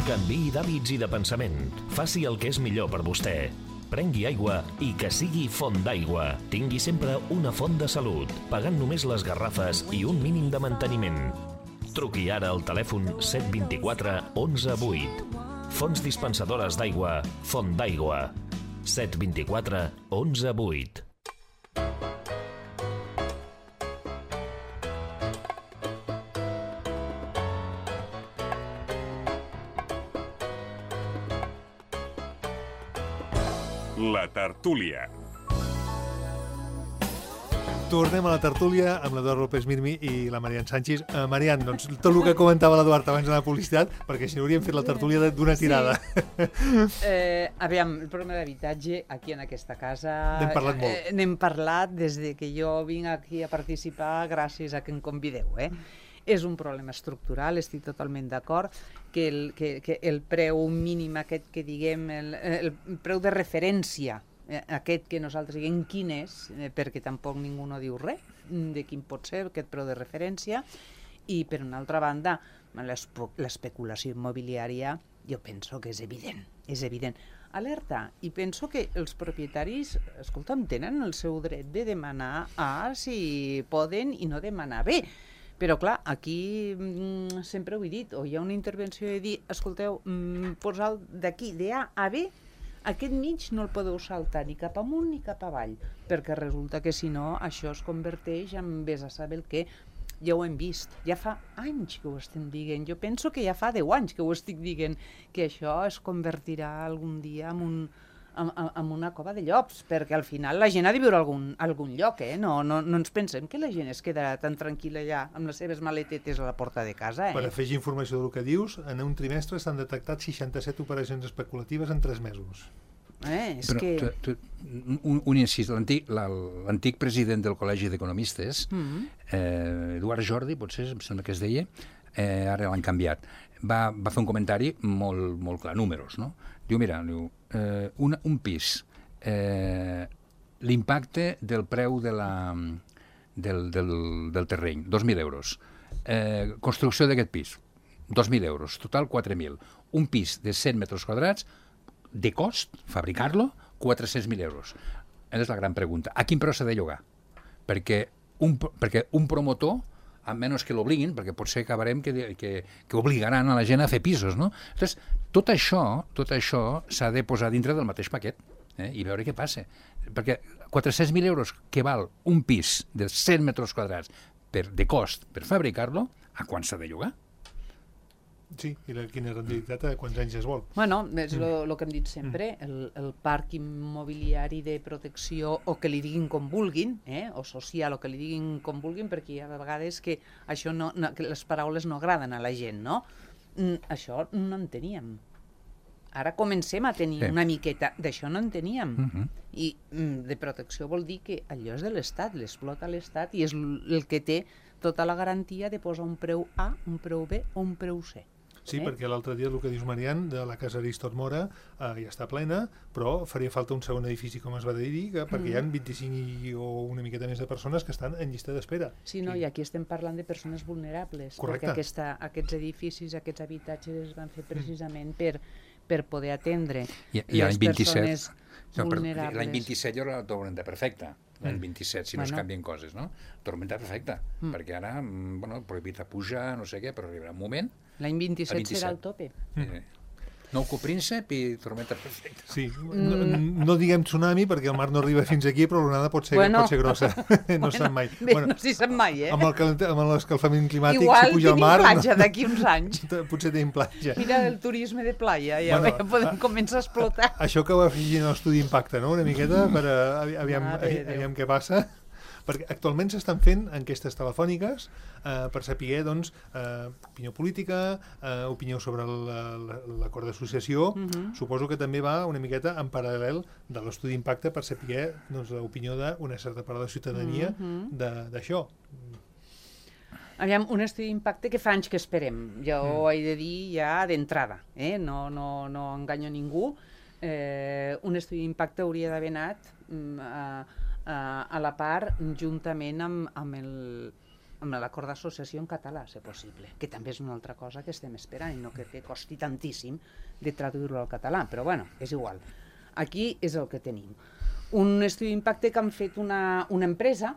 Speaker 8: Canviï d'hàbits i de pensament. Faci el que és millor per vostè. Prengui aigua i que sigui font d'aigua. Tingui sempre una font de salut, pagant només les garrafes i un mínim de manteniment. Truqui ara al telèfon 724 11 8. Fonts dispensadores d'aigua, Font d'Aigua. 724 11 8.
Speaker 9: La tertúlia.
Speaker 2: Tornem a la tertúlia amb l'Eduard López Mirmi i la Marian Sanchis. Marian, doncs, tot el que comentava l'Eduard abans de la publicitat, perquè si no hauríem fet la tertúlia d'una tirada.
Speaker 3: Sí. Aviam, el problema d'habitatge aquí en aquesta casa...
Speaker 2: N'hem parlat molt.
Speaker 3: N'hem parlat des que jo vinc aquí a participar gràcies a que em convideu, És un problema estructural, estic totalment d'acord, que el preu mínim aquest que diguem, el preu de referència, aquest que nosaltres diguem quin és, perquè tampoc ningú no diu res de quin pot ser aquest preu de referència, i per una altra banda l'especulació immobiliària jo penso que és evident. Alerta, i penso que els propietaris, escolta'm, tenen el seu dret de demanar si poden i no demanar bé. Però, clar, aquí sempre ho he dit, o hi ha una intervenció de dir, escolteu, posar d'aquí, d'A a B, aquest mig no el podeu saltar ni cap amunt ni cap avall, perquè resulta que si no això es converteix en vés a saber el què. Ja ho hem vist, ja fa anys que ho estem dient, jo penso que ja fa 10 anys que ho estic dient, que això es convertirà algun dia en una cova de llops, perquè al final la gent ha de viure a algun lloc, No ens pensem que la gent es quedarà tan tranquil·la allà amb les seves maletetes a la porta de casa,
Speaker 2: Per afegir informació del que dius, en un trimestre s'han detectat 67 operacions especulatives en 3 mesos.
Speaker 4: Un incís, l'antic president del Col·legi d'Economistes, Eduard Jordi, potser em sembla que es deia, ara l'han canviat, va fer un comentari molt clar, números, no? Diu, mira, un pis, l'impacte del preu del terreny, 2.000 euros. Construcció d'aquest pis, 2.000 euros, total 4.000. Un pis de 100 metres quadrats, de cost, fabricar-lo, 400.000 euros. És la gran pregunta. A quin preu s'ha de llogar? Perquè un promotor a menys que l'obliguin, perquè potser acabarem que obligaran a la gent a fer pisos, no? Llavors, tot això s'ha de posar dintre del mateix paquet i veure què passa. Perquè 400.000 euros que val un pis de 100 metres quadrats de cost per fabricar-lo, a quan s'ha de llogar?
Speaker 2: Sí, i quina rendibilitat a quants anys es vol.
Speaker 3: Bueno, és el que hem dit sempre, el parc immobiliari de protecció, o que li diguin com vulguin, o social, o que li diguin com vulguin, perquè hi ha vegades que això que les paraules no agraden a la gent, no? Això no en teníem. Ara comencem a tenir una miqueta, d'això no en teníem. I de protecció vol dir que allò és de l'Estat, l'explota l'Estat i és el que té tota la garantia de posar un preu A, un preu B o un preu C.
Speaker 2: Sí, perquè l'altre dia el que dius, Marian, de la casa Aristot Mora ja està plena, però faria falta un segon edifici, com es va dir, perquè hi ha 25 o una miqueta més de persones que estan en llista d'espera.
Speaker 3: Sí, no, i aquí estem parlant de persones vulnerables,
Speaker 2: correcte,
Speaker 3: perquè aquests edificis, aquests habitatges es van fer precisament per poder atendre les persones vulnerables.
Speaker 4: L'any 27 ja era la tormenta perfecta, l'any 27, si no es canvien coses, no? Tormenta perfecta, perquè ara, prohibit a pujar, no sé què, però arribarà un moment...
Speaker 3: L'any 27 serà el tope.
Speaker 4: Nou príncep i tormenta perfecta.
Speaker 2: Sí, no diguem tsunami perquè el mar no arriba fins aquí, però l'onada pot ser grossa. No se sap mai.
Speaker 3: No s'hi sap mai,
Speaker 2: Amb l'escalfament climàtic,
Speaker 3: igual
Speaker 2: si puja al mar...
Speaker 3: Igual tenim platja d'aquí uns anys.
Speaker 2: Potser tenim platja.
Speaker 3: Mira el turisme de playa, ja podem començar a explotar.
Speaker 2: Això que ho afegint a l'estudi d'impacte, no?, una miqueta, per aviam què passa. Perquè actualment s'estan fent enquestes telefòniques per saber, doncs, opinió política, opinió sobre l'acord d'associació. Suposo que també va una miqueta en paral·lel de l'estudi d'impacte per saber l'opinió d'una certa part de la ciutadania d'això.
Speaker 3: Aviam, un estudi d'impacte que fa anys que esperem. Jo ho he de dir ja d'entrada, no enganyo ningú. Un estudi d'impacte hauria d'haver anat a la part juntament amb l'acord d'associació en català, si possible, que també és una altra cosa que estem esperant i no que costi tantíssim de traduir-lo al català, però bueno, és igual. Aquí és el que tenim. Un estudi d'impacte que han fet una empresa,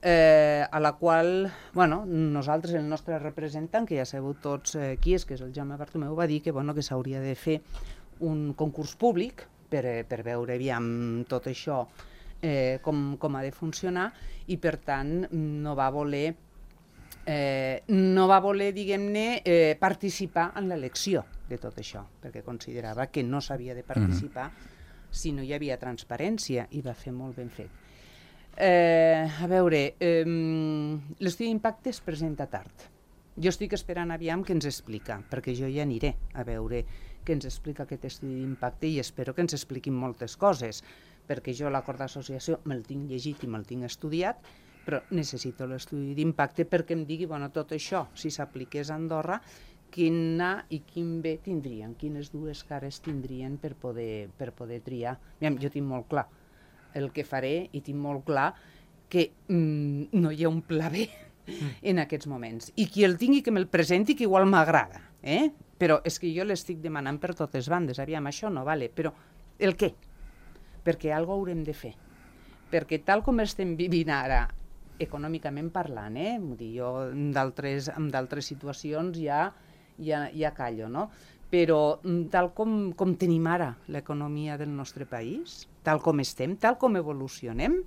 Speaker 3: a la qual, nosaltres, el nostre representant, que ja sabeu tots qui és, que és el Jaume Bartomeu, va dir que s'hauria de fer un concurs públic per veure aviam tot això com ha de funcionar i per tant no va voler diguem-ne participar en l'elecció de tot això perquè considerava que no s'havia de participar si no hi havia transparència i va fer molt ben fet. A veure, l'estudi d'impacte es presenta tard. Jo estic esperant aviam què ens explica, perquè jo ja aniré a veure què ens explica aquest estudi d'impacte i espero que ens expliquin moltes coses, perquè jo l'acord d'associació me'l tinc llegit i me'l tinc estudiat, però necessito l'estudi d'impacte perquè em digui, tot això, si s'apliqués a Andorra, quin A i quin B tindrien, quines dues cares tindrien per poder triar. Jo tinc molt clar el que faré i tinc molt clar que no hi ha un pla B en aquests moments. I qui el tingui que me'l presenti, que igual m'agrada, però és que jo l'estic demanant per totes bandes. Aviam, això no vale, però el què? Perquè alguna cosa haurem de fer. Perquè tal com estem vivint ara, econòmicament parlant, jo en d'altres situacions ja callo, no? Però tal com tenim ara l'economia del nostre país, tal com estem, tal com evolucionem,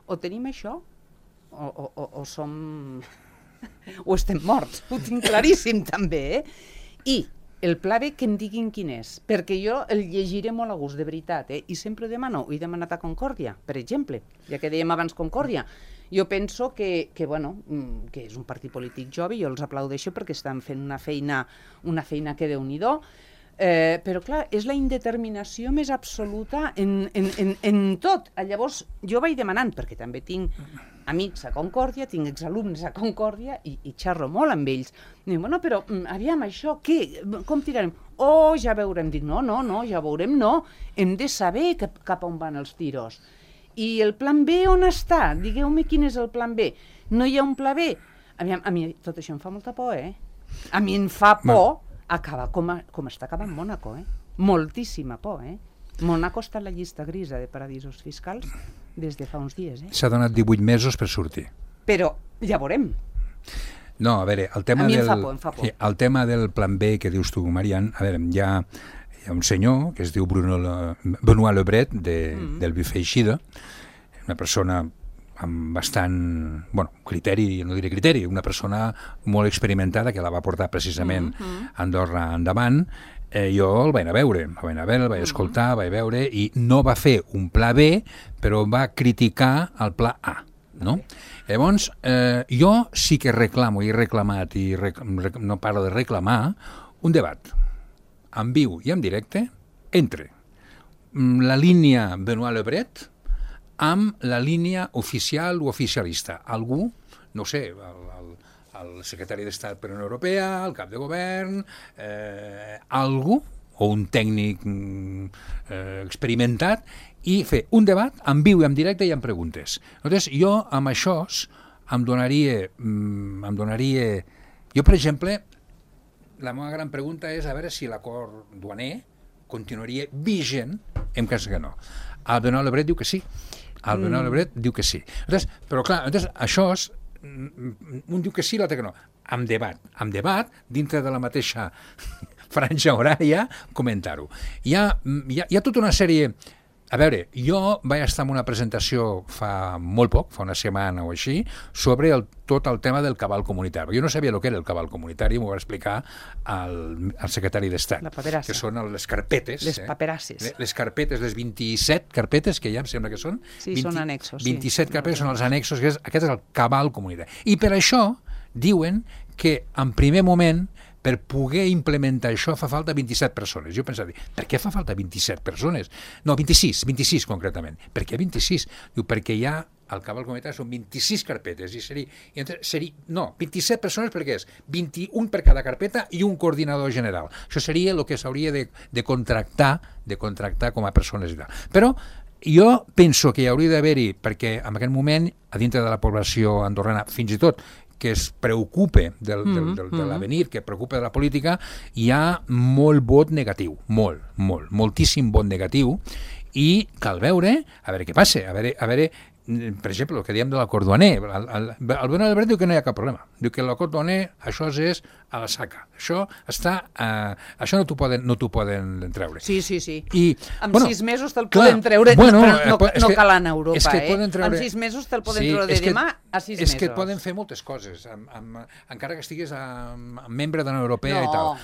Speaker 3: o tenim això o som... o estem morts, ho tinc claríssim també, I el pla B que em diguin quin és, perquè jo el llegiré molt a gust, de veritat, i sempre demano, he demanat a Concòrdia, per exemple, ja que dèiem abans Concòrdia, jo penso que és un partit polític jove, jo els aplaudeixo perquè estan fent una feina que Déu-n'hi-do, però clar, és la indeterminació més absoluta en tot. Llavors jo vaig demanant, perquè també tinc amics a Concòrdia, tinc exalumnes a Concòrdia i xerro molt amb ells. Dic, però aviam, això què? Com tirarem? Ja veurem. Dic, no, ja veurem, no. Hem de saber cap on van els tiros. I el plan B on està? Digueu-me quin és el plan B. No hi ha un pla B? Aviam, a mi tot això em fa molta por, A mi em fa por acabar com està acabant Mònaco, Moltíssima por, Mònaco està a la llista grisa de paradisos fiscals des de fa uns dies,
Speaker 4: S'ha donat 18 mesos per sortir.
Speaker 3: Però Ja veurem.
Speaker 4: No, a veure, el tema
Speaker 3: A mi em
Speaker 4: del...
Speaker 3: fa por, em fa por.
Speaker 4: Sí, el tema del plan B que dius tu, Marian, a veure, hi ha un senyor que es diu Benoît Lebret, del Buffet Eixida, una persona amb bastant, criteri, no diré criteri, una persona molt experimentada que la va portar precisament a Andorra endavant. Jo el vaig anar a veure, el vaig escoltar, vaig veure, i no va fer un pla B, però va criticar el pla A, no? Llavors, jo sí que reclamo, i he reclamat, i no paro de reclamar, un debat en viu i en directe entre la línia Benoît Lebret amb la línia oficial o oficialista. Algú, no sé, el secretari d'Estat per la Unió Europea, el cap de govern, algú, o un tècnic experimentat, i fer un debat en viu i en directe i en preguntes. Llavors, jo amb això em donaria... Jo, per exemple, la meva gran pregunta és a veure si l'acord duaner continuaria vigent en cas que no. El Benoît Lebret diu que sí. Però clar, això és... Un diu que sí, l'altre que no. Amb debat, dintre de la mateixa franja horària, comentar-ho. Hi ha tota una sèrie... A veure, jo vaig estar en una presentació fa molt poc, fa una setmana o així, sobre tot el tema del cabal comunitari. Jo no sabia el que era el cabal comunitari, m'ho va explicar el secretari d'Estat, que són les carpetes.
Speaker 3: Les paperasses.
Speaker 4: Les carpetes, les 27 carpetes que hi ha, em sembla que són.
Speaker 3: Sí, són annexos.
Speaker 4: 27 carpetes són els annexos, aquest és el cabal comunitari. I per això diuen que en primer moment per poder implementar això fa falta 27 persones. Jo pensava, per què fa falta 27 persones? No, 26 concretament. Per què 26? Diu, perquè hi ha al cabal comunitari són 26 carpetes i seria 27 persones perquè és 21 per cada carpeta i un coordinador general. Això seria el que s'hauria de contractar com a persones i tal. Però jo penso que hi hauria d'haver-hi, perquè en aquest moment, a dintre de la població andorrana, fins i tot que es preocupa de l'avenir, que es preocupa de la política, hi ha molt vot negatiu, moltíssim vot negatiu, i cal veure, a veure què passa, a veure, per exemple, el que diem de l'acord duaner, el Benoît Lebret diu que no hi ha cap problema, diu que l'acord duaner, això és a la saca, això no t'ho poden treure.
Speaker 3: Sí.
Speaker 4: I,
Speaker 3: en 6 mesos te'l poden treure, però no cal anar a Europa, en 6 mesos te'l poden treure de demà a 6 mesos.
Speaker 4: És que et poden fer moltes coses, encara que estiguis membre de la Unió Europea i tal.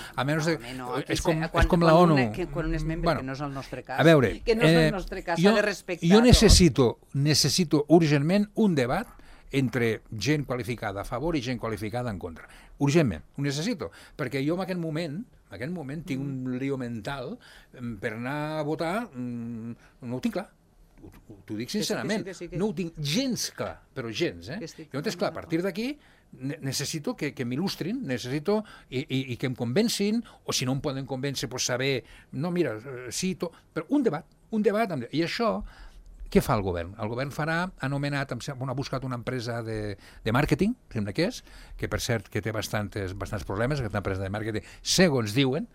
Speaker 4: És com la ONU.
Speaker 3: Quan un és membre, que no és el nostre cas.
Speaker 4: A veure,
Speaker 3: s'ha de respectar.
Speaker 4: Jo necessito urgentment un debat entre gent qualificada a favor i gent qualificada en contra. Urgentment, ho necessito, perquè jo en aquest moment tinc un lío mental per anar a votar, no ho tinc clar. T'ho dic sincerament, no ho tinc gens clar, però gens. Llavors, clar, a partir d'aquí necessito que m'il·lustrin, necessito i que em convencin, o si no em poden convèncer, saber, no, mira, sí, però un debat, i això, què fa el govern? El govern ha buscat una empresa de màrqueting, sembla que és, que per cert que té bastants problemes, aquesta empresa de màrqueting, segons diuen,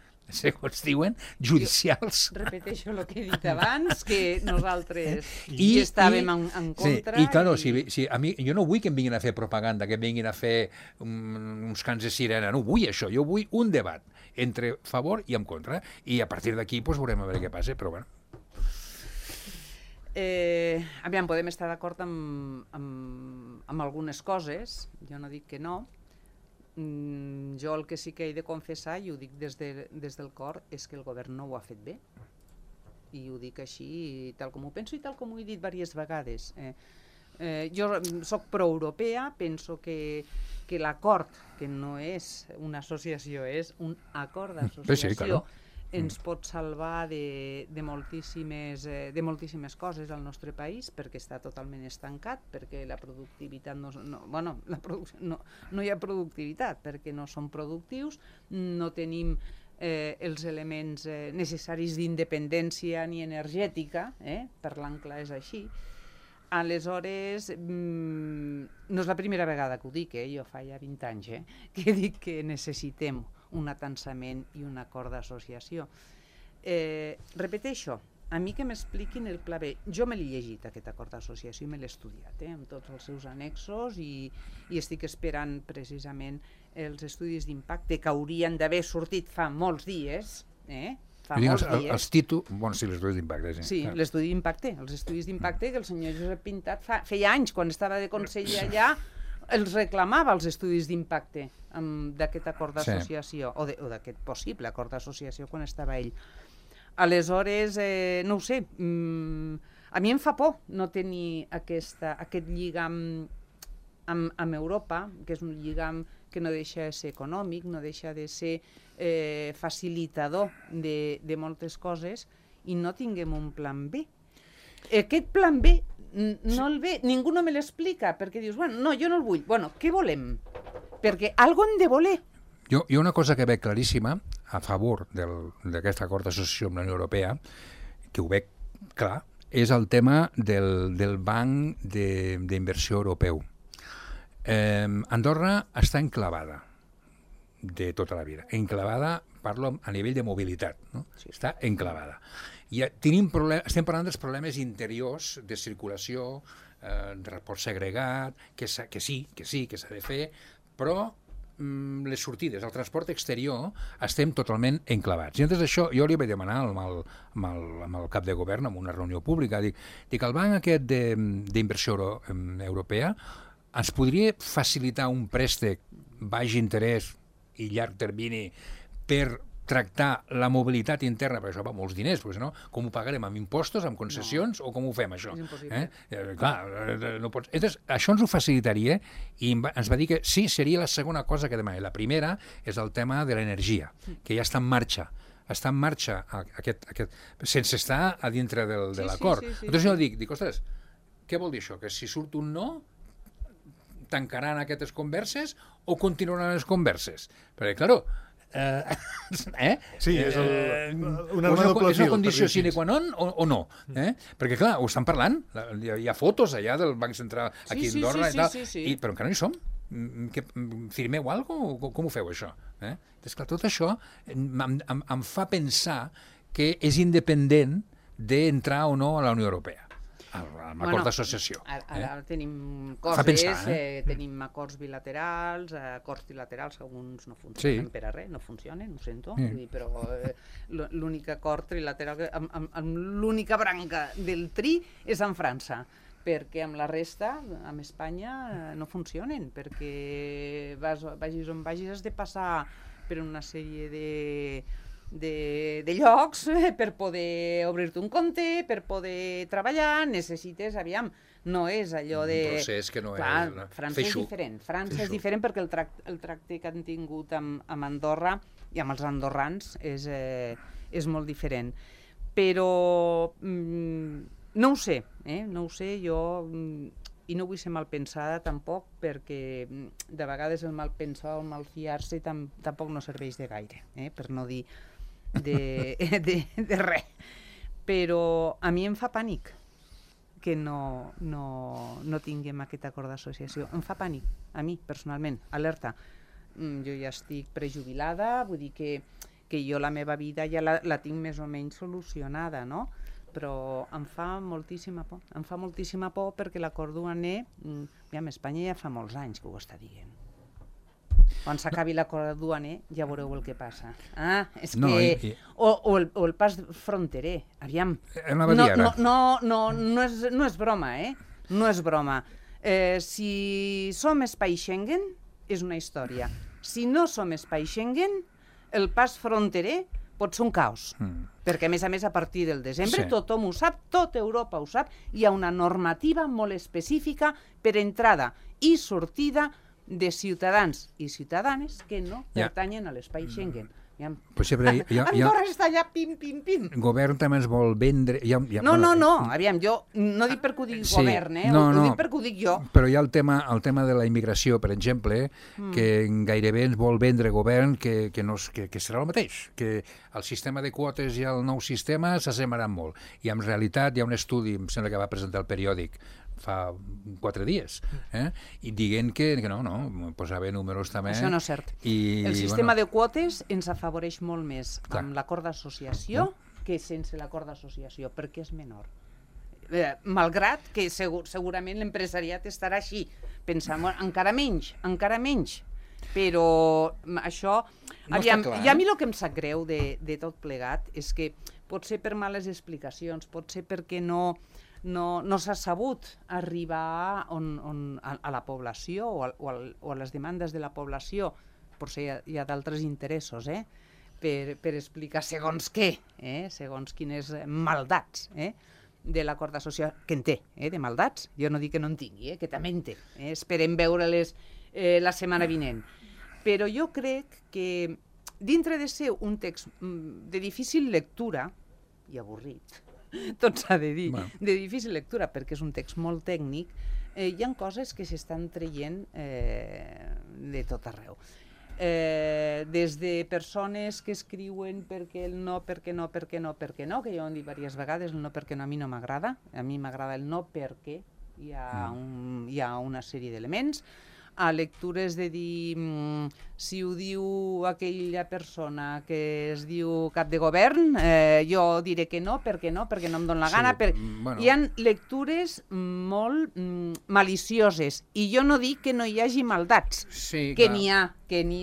Speaker 4: judicials.
Speaker 3: Repeteixo el que he dit abans, que nosaltres hi estàvem en contra.
Speaker 4: I clar, jo no vull que em vinguin a fer propaganda, que em vinguin a fer uns cants de sirena, no vull això, jo vull un debat entre favor i en contra, i a partir d'aquí veurem a veure què passa, però bueno.
Speaker 3: Aviam, podem estar d'acord amb algunes coses, jo no dic que no. Jo el que sí que he de confessar, i ho dic des del cor, és que el govern no ho ha fet bé. I ho dic així, tal com ho penso i tal com ho he dit diverses vegades. Jo soc pro-europea, penso que l'acord, que no és una associació, és un acord d'associació, ens pot salvar de moltíssimes coses al nostre país, perquè està totalment estancat, perquè la productivitat no hi ha productivitat, perquè no som productius, no tenim els elements necessaris d'independència ni energètica, parlant clar és així. Aleshores, no és la primera vegada que ho dic, jo fa ja 20 anys que dic que necessitem un atansament i un acord d'associació. Repeteixo, a mi que m'expliquin el pla B. Jo me l'he llegit, aquest acord d'associació, i me l'he estudiat, amb tots els seus annexos, i estic esperant precisament els estudis d'impacte que haurien d'haver sortit fa molts dies, fa molts dies.
Speaker 4: Els títols, sí, l'estudi d'impacte.
Speaker 3: Sí, l'estudi d'impacte, els estudis d'impacte que el senyor Josep Pintat feia anys, quan estava de conseller allà, els reclamava els estudis d'impacte d'aquest acord d'associació, o d'aquest possible acord d'associació quan estava ell. Aleshores, no ho sé, a mi em fa por no tenir aquest lligam amb Europa, que és un lligam que no deixa de ser econòmic, no deixa de ser facilitador de moltes coses, i no tinguem un plan B. Aquest plan B no el ve, ningú no me l'explica, perquè dius, bueno, no, jo no el vull. Bueno, què volem? Perquè algo hem de voler.
Speaker 4: Jo una cosa que veig claríssima a favor d'aquest acord d'associació amb la Unió Europea, que ho veig clar, és el tema del Banc d'Inversió Europeu. Andorra està enclavada de tota la vida. Enclavada, parlo a nivell de mobilitat, no? Sí. Està enclavada. I estem parlant dels problemes interiors de circulació, de transport segregat, que sí, que s'ha de fer, però les sortides, el transport exterior, estem totalment enclavats. I antes d'això, jo li vaig demanar amb el cap de govern, en una reunió pública, dic el banc aquest d'inversió europea ens podria facilitar un préstec baix interès i llarg termini per tractar la mobilitat interna, perquè això va molts diners, perquè no, com ho pagarem, amb impostos, amb concessions, o com ho fem, això?
Speaker 3: És impossible.
Speaker 4: Clar, no pots... Entonces, això ens ho facilitaria, i ens va dir que sí, seria la segona cosa que demana. La primera és el tema de l'energia, que ja està en marxa. Està en marxa sense estar a dintre de l'acord. Entonces jo dic, ostres, què vol dir això? Que si surt un no, tancaran aquestes converses o continuaran les converses? Perquè, clar,
Speaker 2: sí, és un arma de doble fil.
Speaker 4: És una condició sine qua non o no? Perquè, clar, ho estan parlant. Hi ha fotos allà del Banc Central aquí a Andorra i tal, però encara no hi som. Firmeu alguna cosa? Com ho feu, això? Doncs, clar, tot això em fa pensar que és independent d'entrar o no a la Unió Europea. Amb acord d'associació.
Speaker 3: Ara tenim coses, tenim acords bilaterals, acords trilaterals, alguns no funcionen per a res, no funcionen, ho sento, però l'únic acord trilateral, amb l'única branca del tri és amb França, perquè amb la resta, amb Espanya, no funcionen, perquè vagis on vagis has de passar per una sèrie de llocs per poder obrir-te un compte, per poder treballar, necessites, no és allò de...
Speaker 4: Un procés que no és...
Speaker 3: Clar, França és diferent. França és diferent perquè el tracte que han tingut amb Andorra i amb els andorrans és molt diferent. Però no ho sé, jo... I no vull ser malpensada tampoc, perquè de vegades el malpensar o el malfiar-se tampoc no serveix de gaire, per no dir de res. Però a mi em fa pànic que no tinguem aquest acord d'associació. Em fa pànic, a mi, personalment, alerta. Jo ja estic prejubilada, vull dir que jo la meva vida ja la tinc més o menys solucionada, no? Però em fa moltíssima por. Em fa moltíssima por perquè l'acord duaner, Espanya ja fa molts anys que ho està dient. Quan s'acabi l'acord duaner ja veureu el que passa. O el pas fronterer, aviam. No és broma, no és broma. Si som espai Schengen, és una història. Si no som espai Schengen, el pas fronterer pot ser un caos, perquè a més, a partir del desembre tothom ho sap, tota Europa ho sap, hi ha una normativa molt específica per entrada i sortida de ciutadans i ciutadanes que no pertanyen a l'espai Schengen. Andorra està allà, pim, pim, pim.
Speaker 4: El govern també ens vol vendre...
Speaker 3: No, aviam, jo no dic perquè ho digui el govern, ho dic perquè ho dic jo.
Speaker 4: Però hi ha el tema de la immigració, per exemple, que gairebé ens vol vendre govern que serà el mateix, que el sistema de quotes i el nou sistema s'assemblaran molt. I en realitat hi ha un estudi, em sembla que va presentar el periòdic fa 4 dies, i dient que no, posava números també.
Speaker 3: Això no és cert. El sistema de quotes ens afavoreix molt més amb l'acord d'associació que sense l'acord d'associació, perquè és menor. Malgrat que segurament l'empresariat estarà així, pensant encara menys, però això...
Speaker 4: No
Speaker 3: aviam,
Speaker 4: està clar,
Speaker 3: i a mi el que em sap greu de tot plegat és que potser per males explicacions, potser perquè no s'ha sabut arribar a la població o a les demandes de la població, potser hi ha d'altres interessos, per explicar segons què, segons quines maldats, de l'acord d'associació, que en té, de maldats, jo no dic que no en tingui, que també en té, esperem veure-les la setmana vinent. Però jo crec que dintre de ser un text de difícil lectura, i avorrit, tot s'ha de dir, de difícil lectura perquè és un text molt tècnic, hi ha coses que s'estan traient de tot arreu. Des de persones que escriuen perquè el no, perquè no, que ja ho han dit diverses vegades, el no perquè no a mi no m'agrada, a mi m'agrada el no perquè hi ha una sèrie d'elements, a lectures de dir si ho diu aquella persona que es diu cap de govern, jo diré que no, perquè no em dóna la gana. Hi ha lectures molt malicioses i jo no dic que no hi hagi maldats, que n'hi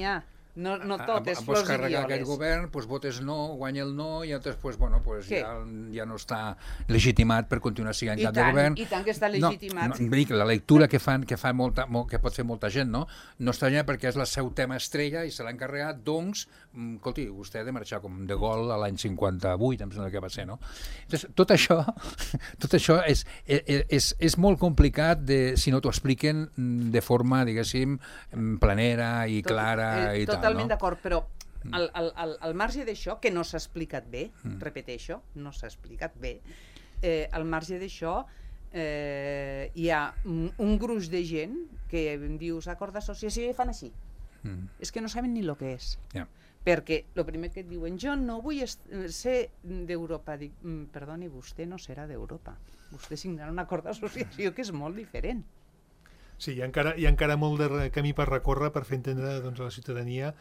Speaker 3: ha. No totes flors i
Speaker 4: carregar
Speaker 3: violes.
Speaker 4: aquest govern, votes no, guanya el no, i després ja no està legitimat per continuar sent cap de govern.
Speaker 3: I tant que està legitimat.
Speaker 4: La lectura que pot fer molta gent, no està allà perquè és el seu tema estrella i se l'ha encarregat, doncs, escolti, vostè ha de marxar com de gol a l'any 58, em sembla que va ser, no? Tot això és molt complicat si no t'ho expliquen de forma, diguéssim, planera i clara i tal.
Speaker 3: Totalment d'acord, però al marge d'això, que no s'ha explicat bé, repeteixo, no s'ha explicat bé, al marge d'això hi ha un gruix de gent que dius acord d'associació i fan així. És que no saben ni el que és. Perquè el primer que et diuen, jo no vull ser d'Europa. Dic, perdoni, vostè no serà d'Europa. Vostè signarà un acord d'associació que és molt diferent.
Speaker 2: Sí, hi ha encara molt de camí per recórrer per fer entendre a la ciutadania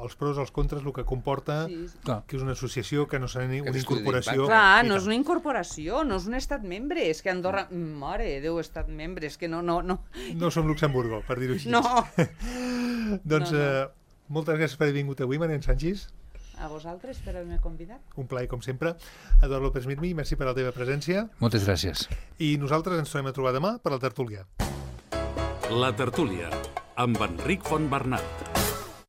Speaker 2: els pros, els contres, el que comporta que és una associació, que no serà una incorporació.
Speaker 3: Clar, no és una incorporació, no és un estat membre, és que Andorra, mare de Déu, estat membre, és que no.
Speaker 2: No som Luxemburgo, per dir-ho així.
Speaker 3: No.
Speaker 2: Doncs moltes gràcies per haver vingut avui, Marian Sanchis.
Speaker 3: A vosaltres per haver-me convidat.
Speaker 2: Un plaer, com sempre. Eduard López Mirmi, merci per la teva presència.
Speaker 4: Moltes gràcies.
Speaker 2: I nosaltres ens tornem a trobar demà per la tertúlia.
Speaker 1: La tertúlia, amb Enric Fontbernat.